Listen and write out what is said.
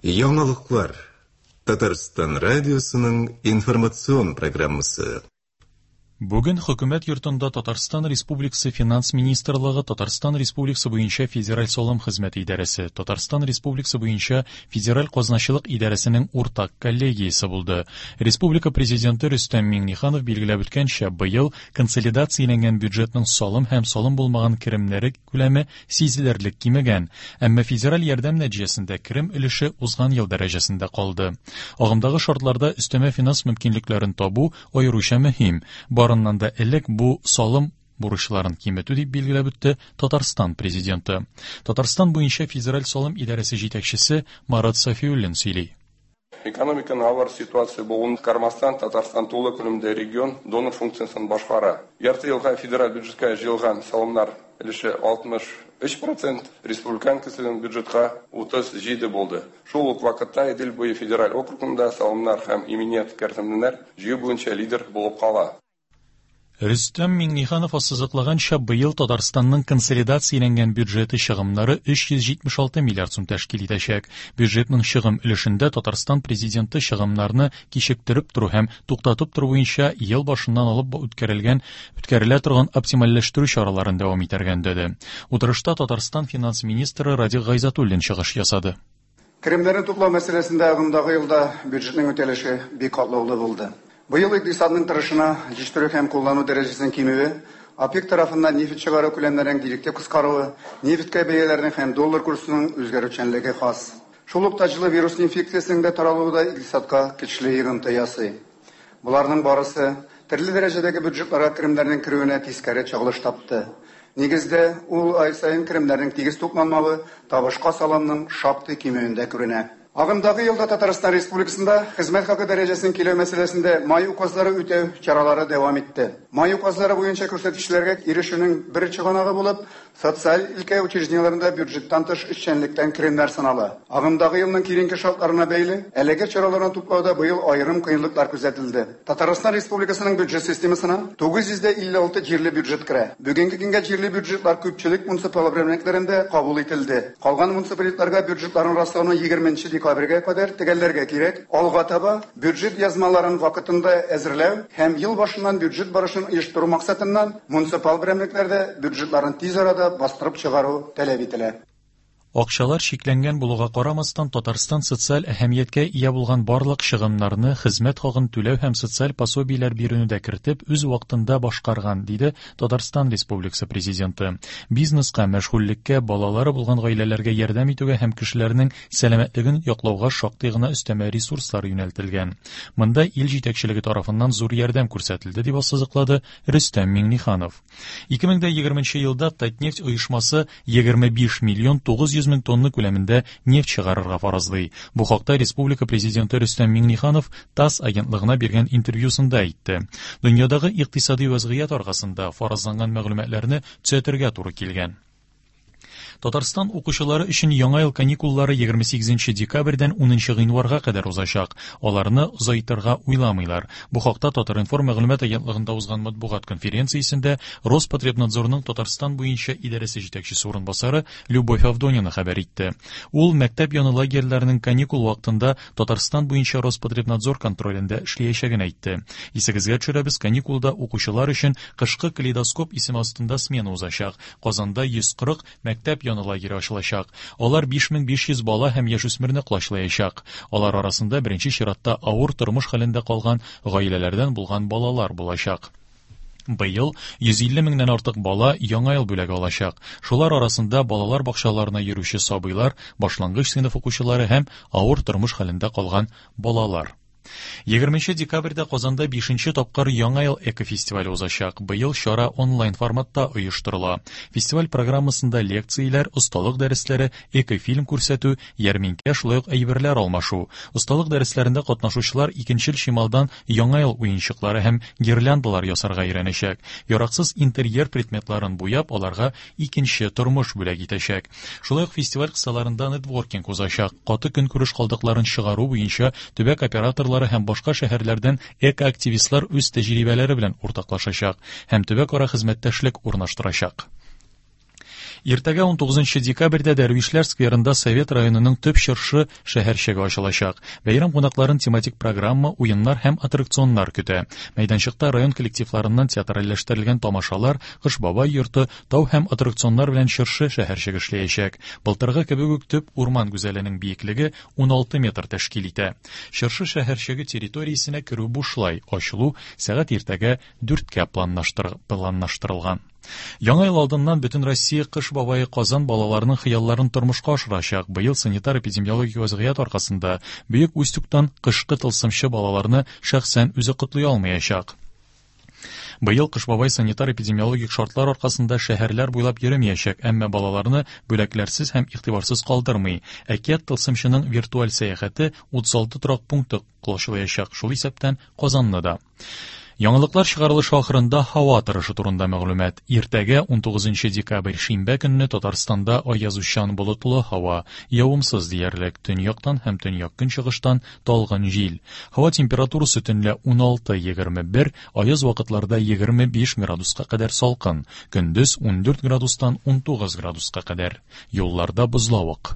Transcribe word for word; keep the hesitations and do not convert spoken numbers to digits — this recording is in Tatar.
Яңалыклар. Татарстан радиосының информацион программасы. Бүген Хөкүмәт йортында Татарстан Республикасы Финанс министрлыгы, Татарстан Республикасы буенча Федераль салым хезмәте идарәсе, Татарстан Республикасы буенча Федераль казначылык идарәсенең уртак коллегиясе булды. Республика Президенты Рөстәм Миңнеханов билгеләп үткәнчә, быел консолидацияләнгән бюджетның салым һәм салым булмаган керемнәре күләме сизелерлек кимегән, әмма федераль ярдәм нәтиҗәсендә керем өлеше узган ел дәрәҗәсендә калды. Агымдагы шартларда өстәмә финанс мөмкинлекләрен табу аеруча мөһим. Барыннан да элек бу салым бурычларын киметү, дип билгеләп үтте Татарстан президенты. Татарстан буенча Федераль салым идарәсе җитәкчесе Марат Сафиуллин сөйли. Экономиканың авыр ситуация булуына карамастан, Татарстан тулы күләмдә регион донор функциясен башкара. Ярты елга федераль бюджетка җыелган салымнар өлеше алтмыш өч процент, республиканский бюджетка утыз җиде булды. Шул ук вакытта Идел буе федераль округында салымнар һәм иминият кертемнәр җыю буенча лидер булып кала. Рөстәм Миңнеханов ассызыклаганча, быел Татарстанның консолидацияләнгән бюджеты чыгымнары өч йөз җитмеш алты миллиард сум тәшкил итәчәк. Бюджетның чыгым өлешендә Татарстан президенты чыгымнарны кичектереп тору һәм туктатып тору буенча ел башыннан алып үткәрелгән, үткәрелә торган оптимальләштерү чараларын дәвам итәргә өндәде. Утырышта Татарстан финанс министры Радик Гайзатуллин чыгыш ясады. Керемнәрне туплау мәсьәләсендә агымдагы елда бюджетның үтәлеше бик катлаулы булды. Быел икътисадның торышына җитештерү һәм куллану дәрәҗәсен кимүе, ОПЕК тарафыннан нефть чыгару күләмнәренең директив кыскаруы, нефтькә бәяләрнең һәм доллар курсының үзгәрүчәнлеге хас. Шул ук таҗлы вирус инфекциясенең дә таралуы да икътисадка көчле йогынты ясый. Буларның барысы төрле дәрәҗәдәге бюджетларга керемнәрнең керүенә тискәре чагылыш тапты. Нигездә, ул ай саен керемнәрнең тигез тупланмавы табышка салымның шактый кимүендә күренә. Агымдагы елда Татарстан Республикасында хезмәт хакы дәрәҗәсен киләү мәсьәләсендә май указлары үтәү чаралары дәвам итте. Май указлары буенча күрсәткечләргә ирешүнең бер чыганагы булып, социаль өлкә учреждениеләрендә бюджеттан тыш эшчәнлектән керемнәр санала. Агымдагы елның киеренке шартларына бәйле, әлеге чараларны туплауда быел аерым кыенлыклар күзәтелде. Татарстан Республикасының бюджет системасына тугыз йөз дә илле алты җирле бюджет керә. Бүгенге көнгә җирле бюджетлар күпчелек муниципаль берәмлекләрендә кабул ителде. Калган муниципалитетларга бюджетларын раслауны егерменче декабрьгә кадәр төгәлләргә кирәк. Алга таба бюджет язмаларын вакытында әзерләү һәм ел башыннан бюджет барышын оештыру максатыннан муниципаль берәмлекләрдә бюджетларын тиз арада бастырып чыгару таләп ителә. Акчалар чикләнгән булуга карамастан, Татарстан социаль әһәмияткә ия булган барлык чыгымнарны, хезмәт хакын түләү һәм социаль пособиеләр бирүне дә кертеп, үз вакытында башкарган, диде Татарстан Республикасы президенты. Бизнеска, мәшгульлеккә, балалары булган гаиләләргә ярдәм итүгә һәм кешеләрнең сәламәтлеген яклауга шактый гына өстәмә ресурслар юнәлтелгән. Монда ил җитәкчелеге тарафыннан зур ярдәм күрсәтелде, дип ассызыклады Рөстәм Миңнеханов. Ике мең дә егерменче елда Татнефть оешмасы егерме биш миллион тугыз йөз мең тонна күләмендә нефть чыгарырга фаразлый. Бу хакта Республика президенты Рөстәм Миңнеханов ТАСС агентлыгына биргән интервьюсында әйтте. Дөньядагы икътисади вазгыять аркасында фаразланган мәгълүматларны төзәтергә туры килгән. Татарстан укучылары өчен яңа ел каникуллары егерме сигезенче декабрьдән унынчы гыйнварга кадәр узачак. Аларны озайтырга уйламыйлар. Бу хакта Татар-информ мәгълүмат агентлыгында узган матбугат конференциясендә Роспотребнадзорның Татарстан буенча идарәсе җитәкчесе урынбасары Любовь Авдонина хәбәр итте. Ул мәктәп яны лагерьләренең каникул вакытында Татарстан буенча Роспотребнадзор контролендә эшләячәген әйтте. Исегезгә төшерәбез, каникулда укучылар өчен кышкы калейдоскоп исеме астында смена узачак. Казанда йөз кырык мәктәп яны лагере ачылачак. Алар биш мең биш йөз бала һәм яшүсмерне колачлаячак. Алар арасында беренче чиратта авыр тормыш хәлендә калган гаиләләрдән булган балалар булачак. Быел йөз илле меңнән артык бала яңа ел бүләге алачак. Шулар арасында балалар бакчаларына йөрүче сабыйлар, башлангыч сыйныф укучылары һәм авыр тормыш хәлендә калган балалар. Егерменче декабрьдә Казанда бишенче тапкыр Яңа ел экофестивале узачак. Быел чара онлайн форматта оештырыла. Фестиваль программасында лекцияләр, осталык дәресләре, экофильм күрсәтү, ярминкә, шулай ук әйберләр алмашу. Осталык дәресләрендә катнашучылар икенчел чималдан Яңа ел уенчыклары һәм гирляндалар ясарга өйрәнәчәк. Яраксыз интерьер предметларын буяп, аларга икенче тормыш бүләк итәчәк. Шулай ук фестиваль кысаларында нетворкинг узачак. Каты көнкүреш калдыкларын чыгару буенча төбәк операторлары һәм башка шәһәрләрдән экоактивистлар үз тәҗрибәләре белән уртаклашачак һәм төбәк ара хезмәттәшлек урнаштырачак. Иртәгә ун тугызынчы декабрьдә Дәрвишләр скверында Совет районының төп чыршы шәһәрчеге ачылачак. Бәйрәм кунакларын тематик программа, уеннар һәм аттракционнар көтә. Мәйданчыкта район коллективларыннан театральләштерелгән тамашалар, Кыш бабай йорты, тау һәм аттракционнар белән чыршы шәһәрчеге эшләячәк. Былтыргы кебек үк төп урман гүзәленең биеклеге уналты метр тәшкил итә. Чыршы шәһәрчеге территориясенә керү бушлай, ачылу сәгать иртәгә дүрткә планлаштырылган. Яңа ел алдыннан бөтен Россия Кыш бабае Казан балаларының хыялларын тормышка ашырачак. Быел санитар эпидемиологик вазгыять аркасында Бөек Устюгтан кышкы тылсымчы балаларны шәхсән үзе котлый алмаячак. Быел Кыш бабай санитар эпидемиологик шартлар аркасында шәһәрләр буйлап йөрмәячәк, әмма балаларны бүләкләрсез һәм игътибарсыз калдырмый. Әкият тылсымчының виртуаль сәяхәте утыз алты торак пункты колачлаячак, шул исәптән Казанны да. Яңалыклар чыгарылышы ахырында һава торышы турында мәгълүмат. Иртәгә ун тугызынчы декабрь шимбә көнне Татарстанда аязучан болытлы һава, явымсыз диярлек, төньяктан һәм төньяк көнчыгыштан талгын җил. Һава температурасы төнлә уналты-егерме бер, аяз вакытларда егерме биш градуска кадәр салкын, көндез ундүрт градустан унтугыз градуска кадәр. Юлларда бозлавык.